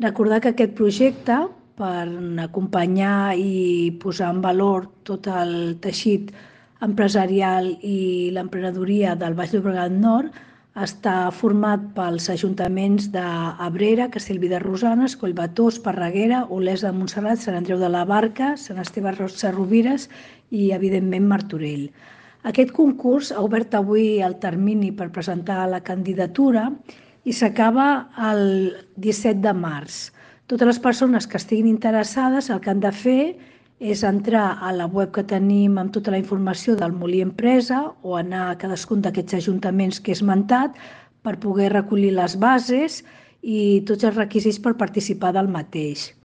Recordar que aquest projecte, per acompanyar i posar en valor tot el teixit empresarial i l'emprenedoria del Baix Llobregat Nord, està format pels ajuntaments d'Abrera, Castellví de Rosanes, Collbató, Esparreguera, Olesa de Montserrat, Sant Andreu de la Barca, Sant Esteve Sesrovires i, evidentment, Martorell. Aquest concurs ha obert avui el termini per presentar la candidatura i s'acaba el 17 de març. Totes les persones que estiguin interessades el que han de fer és entrar a la web que tenim amb tota la informació del Molí Empresa o anar a cadascun d'aquests ajuntaments que he esmentat per poder recollir les bases i tots els requisits per participar del mateix.